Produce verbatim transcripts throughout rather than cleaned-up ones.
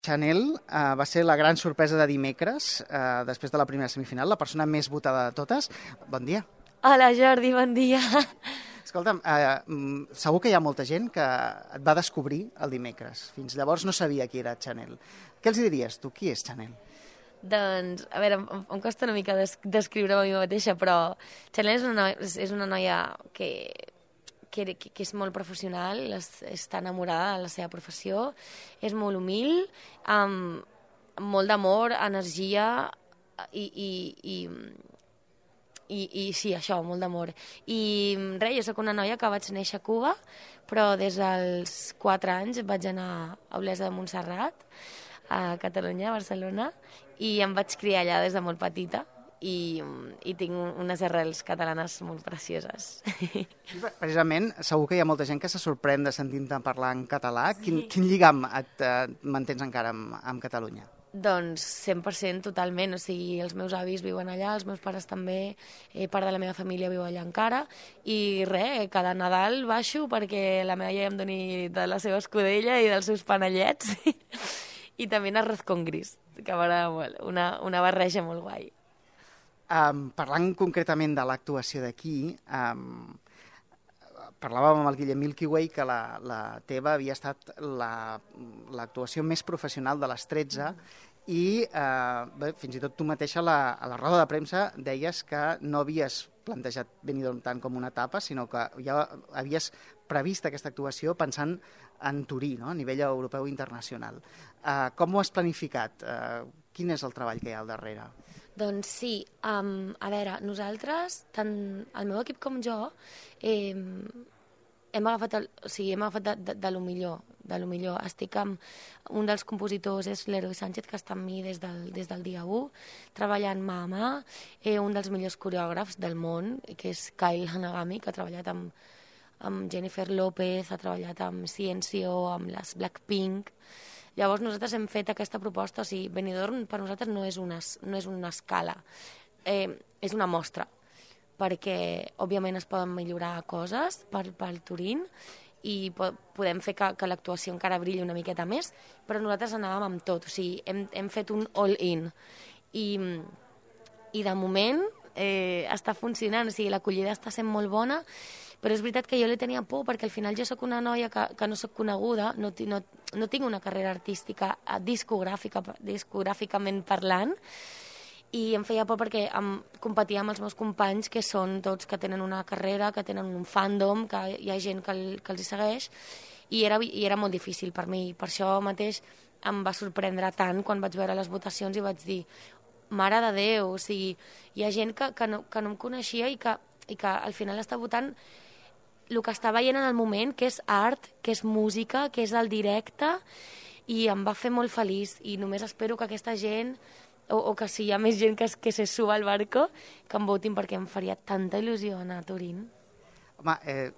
Chanel uh, va ser la gran sorpresa de dimecres, uh, després de la primera semifinal, la persona més votada de totes. Bon dia. Hola, Jordi, bon dia. Escolta'm, uh, segur que hi ha molta gent que et va descobrir el dimecres. Fins llavors no sabia qui era Chanel. Què els diries tu? Qui és Chanel? Doncs, a veure, em, em costa una mica des descriure-me a mi mateixa, però Chanel és una noia, és una noia que, que, que és molt professional, és, està enamorada de la seva professió, és molt humil, amb molt d'amor, energia i, i, i, i, i sí, això, molt d'amor. I res, jo sóc una noia que vaig néixer a Cuba, però des dels quatre anys vaig anar a Olesa de Montserrat, a Catalunya, a Barcelona, i em vaig criar allà des de molt petita i, i tinc unes arrels catalanes molt precioses. Precisament, segur que hi ha molta gent que se sorprèn de sentir-te parlar en català. Quin, quin lligam et eh, mantens encara amb, amb Catalunya? Doncs cent per cent totalment, o sigui, els meus avis viuen allà, els meus pares també, eh, part de la meva família viu allà encara, i res, cada Nadal baixo perquè la meva iaia em doni de la seva escudella i dels seus panellets, i també un arroz con gris, que m'agrada molt, una, una barreja molt guai. Um, parlant concretament de l'actuació d'aquí, um, parlàvem amb el Guillem Milky Way que la, la teva havia estat l'actuació la, més professional de les tretze i eh, bé, fins i tot tu mateixa la, a la roda de premsa deies que no havies plantejat Benidorm tant com una etapa, sinó que ja havies previst aquesta actuació pensant en Turí, no? A nivell europeu i internacional. Eh, com ho has planificat? Eh, quin és el treball que hi ha al darrere? Doncs sí, um, a veure, nosaltres, tant el meu equip com jo, eh, hem agafat, el, o sigui, hem agafat de, de, de lo millor, de lo millor. Estic amb un dels compositors, és l'Heroi Sánchez, que està amb mi des del, des del dia u, treballant mà a mà, eh, un dels millors coreògrafs del món, que és Kyle Hanagami, que ha treballat amb, amb Jennifer López, ha treballat amb Ciencio, amb les Blackpink. Llavors nosaltres hem fet aquesta proposta, o sigui, Benidorm per nosaltres no és una, no és una escala, eh, és una mostra, perquè òbviament es poden millorar coses per, per Turín i po podem fer que, que l'actuació encara brilli una miqueta més, però nosaltres anàvem amb tot, o sigui, hem, hem fet un all-in i, i de moment eh, està funcionant, o sigui, l'acollida està sent molt bona, però és veritat que jo li tenia por perquè al final jo sóc una noia que, que no sóc coneguda, no, no, no tinc una carrera artística discogràfica, discogràficament parlant, i em feia por perquè em competia amb els meus companys que són tots que tenen una carrera, que tenen un fandom, que hi ha gent que, el, que els hi segueix, i era, i era molt difícil per mi. Per això mateix em va sorprendre tant quan vaig veure les votacions i vaig dir, mare de Déu, o sigui, hi ha gent que, que, no, que no em coneixia i que, i que al final està votant el que està veient en el moment, que és art, que és música, que és el directe, i em va fer molt feliç, i només espero que aquesta gent, o, o que si hi ha més gent que, que se suba al barco, que em votin perquè em faria tanta il·lusió anar a Turín. Home, eh,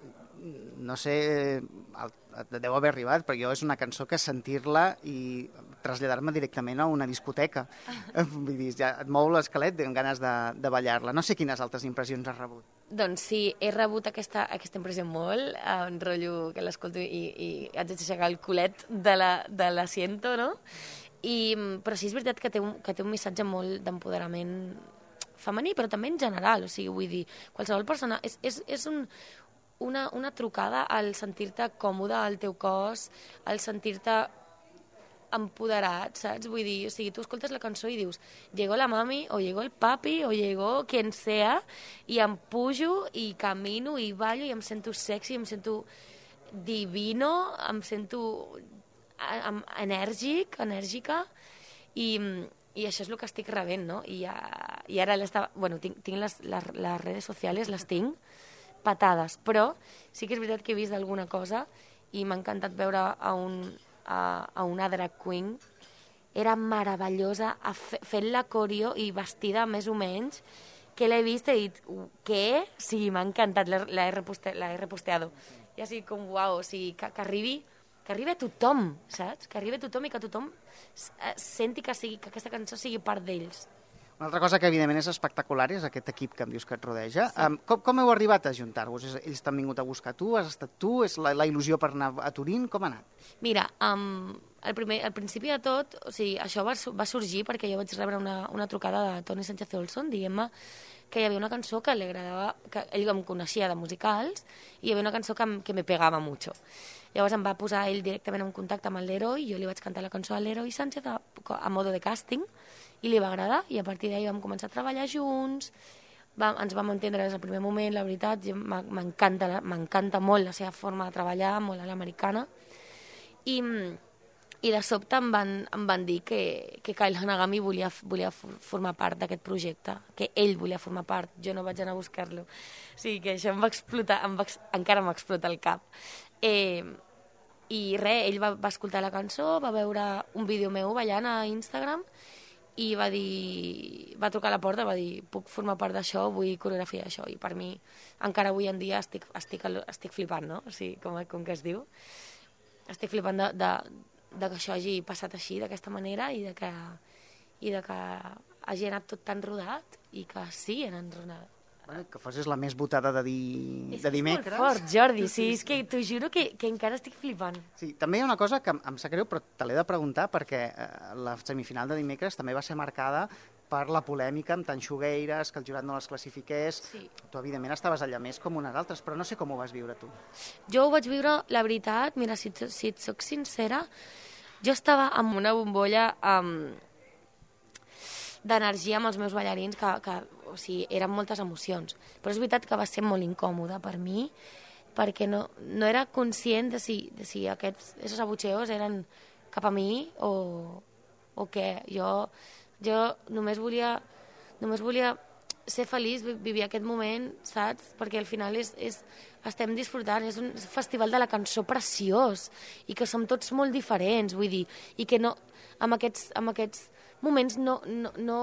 no sé, eh, deu haver arribat, però jo és una cançó que sentir-la i traslladar-me directament a una discoteca. Vull dir, ja et mou l'esquelet amb ganes de, de ballar-la. No sé quines altres impressions has rebut. Doncs sí, he rebut aquesta, aquesta impressió molt, en rotllo que l'escolto i, i haig d'aixecar el culet de l'assiento, no? I, però sí és veritat que té un, que té un missatge molt d'empoderament femení, però també en general, o sigui, vull dir, qualsevol persona... És, és, és un, una, una trucada al sentir-te còmode al teu cos, al sentir-te empoderat, saps? Vull dir, o sigui, tu escoltes la cançó i dius llegó la mami, o llegó el papi, o llegó quien sea, i em pujo i camino i ballo i em sento sexy, em sento divino, em sento enèrgic, enèrgica, i, i això és el que estic rebent, no? I, i ara bueno, tinc, tinc les, les, les redes socials, les tinc patades, però sí que és veritat que he vist alguna cosa i m'ha encantat veure a un A, a una drag queen, era meravellosa fent la coreo i vestida més o menys, que l'he vist i he dit, què? Sí, m'ha encantat, la he, reposte, he reposteado. I així com, uau, o sigui, que, que, arribi, que arribi a tothom, saps? Que arribi a tothom i que tothom senti que, sigui, que aquesta cançó sigui part d'ells. Una altra cosa que, evidentment, és espectacular és aquest equip que em dius que et rodeja. Sí. Um, com, com heu arribat a ajuntar-vos? Ells t'han vingut a buscar tu? Has estat tu? És la, la il·lusió per anar a Turín? Com ha anat? Mira, um, al, primer, al principi de tot, o sigui, això va, va sorgir perquè jo vaig rebre una, una trucada de Toni Sánchez Olson dient-me que hi havia una cançó que li agradava, que ell em coneixia de musicals, i hi havia una cançó que, que me pegava mucho. Llavors em va posar ell directament en contacte amb el Leroy, i jo li vaig cantar la cançó a Leroy Sánchez a, a modo de càsting, i li va agradar, i a partir d'ahir vam començar a treballar junts, va, ens vam entendre des del primer moment, la veritat, m'encanta m'encanta molt la seva forma de treballar, molt a l'americana, i, i de sobte em van, em van dir que, que Kyle Hanagami volia, volia formar part d'aquest projecte, que ell volia formar part, jo no vaig anar a buscar-lo. O sigui que això em va explotar, em va, encara m'explota el cap. Eh, I res, ell va, va escoltar la cançó, va veure un vídeo meu ballant a Instagram, i va dir, va trucar a la porta, va dir, puc formar part d'això, vull coreografiar això, i per mi encara avui en dia estic, estic, estic flipant, no? O sigui, com, com que es diu, estic flipant de, de, de que això hagi passat així, d'aquesta manera, i de que, i de que hagi anat tot tan rodat, i que sí, han enronat. Bueno, que fossis la més votada de, di... de dimecres. És molt fort, Jordi, sí, és que t'ho juro que, que encara estic flipant. Sí, també hi ha una cosa que em sap greu, però te l'he de preguntar, perquè eh, la semifinal de dimecres també va ser marcada per la polèmica amb Tanxugueires, que el jurat no les classifiqués. Sí. Tu, evidentment, estaves allà més com unes altres, però no sé com ho vas viure tu. Jo ho vaig viure, la veritat, mira, si, si et soc sincera, jo estava amb una bombolla um, d'energia amb els meus ballarins, que, que o sigui, eren moltes emocions. Però és veritat que va ser molt incòmode per mi, perquè no, no era conscient de si, de si aquests esos abucheos eren cap a mi o, o què. Jo, jo només volia, només volia ser feliç, vivir aquest moment, saps? Perquè al final és, és, estem disfrutant, és un festival de la cançó preciós, i que som tots molt diferents, vull dir, i que no, amb aquests, amb aquests moments no, no, no,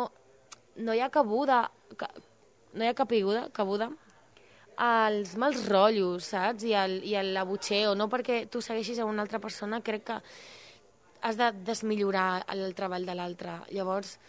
no hi ha cabuda, no hi ha cabuda, cabuda als mals rotllos, saps? I, al, i a l'abutxeo, no perquè tu segueixis a una altra persona, crec que has de desmillorar el treball de l'altre. Llavors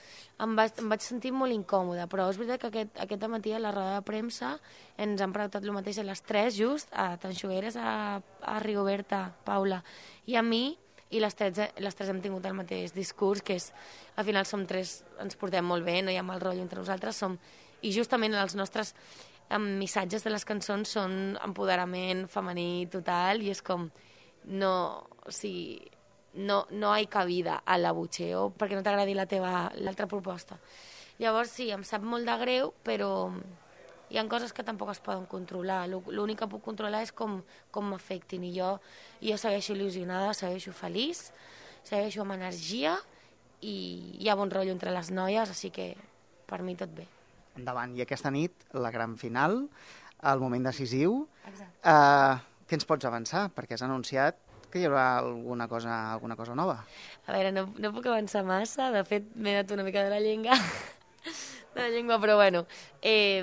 em vaig, em vaig sentir molt incòmoda, però és veritat que aquest, aquest matí a la roda de premsa ens han preguntat el mateix a les tres, just, a Tanxugueres, a, a Rigoberta, Paula i a mi, i les tres, les tres hem tingut el mateix discurs, que és, al final som tres, ens portem molt bé, no hi ha mal rotllo entre nosaltres, som, i justament els nostres um, missatges de les cançons són empoderament femení total, i és com, no, o sigui, no, no hi ha cabida a l'abutxeo perquè no t'agradi la teva, l'altra proposta. Llavors sí, em sap molt de greu, però hi ha coses que tampoc es poden controlar. L'únic que puc controlar és com, com m'afectin, i jo, jo segueixo il·lusionada, segueixo feliç, segueixo amb energia, i hi ha bon rotllo entre les noies, així que per mi tot bé. Endavant. I aquesta nit, la gran final, el moment decisiu. Exacte. Uh, què ens pots avançar? Perquè has anunciat que hi haurà alguna cosa, alguna cosa nova. A veure, no, no puc avançar massa, de fet m'he anat una mica de la llengua, de la llengua, però bueno, eh,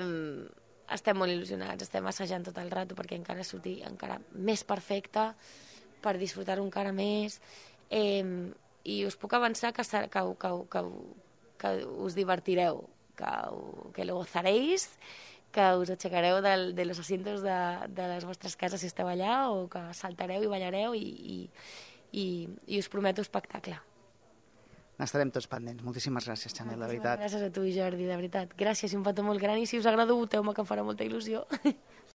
estem molt il·lusionats, estem assajant tot el rato perquè encara surti encara més perfecta, per disfrutar-ho encara més, eh, i us puc avançar que, que, que, que, que us divertireu, que, que lo gozaréis, que us aixecareu del, de los asientos de, de les vostres cases si esteu allà, o que saltareu i ballareu, i, i, i, i us prometo espectacle. N'estarem tots pendents. Moltíssimes gràcies, Chanel, de veritat. Gràcies a tu, Jordi, de veritat. Gràcies, i un petó molt gran, i si us agrada, voteu-me, que em farà molta il·lusió.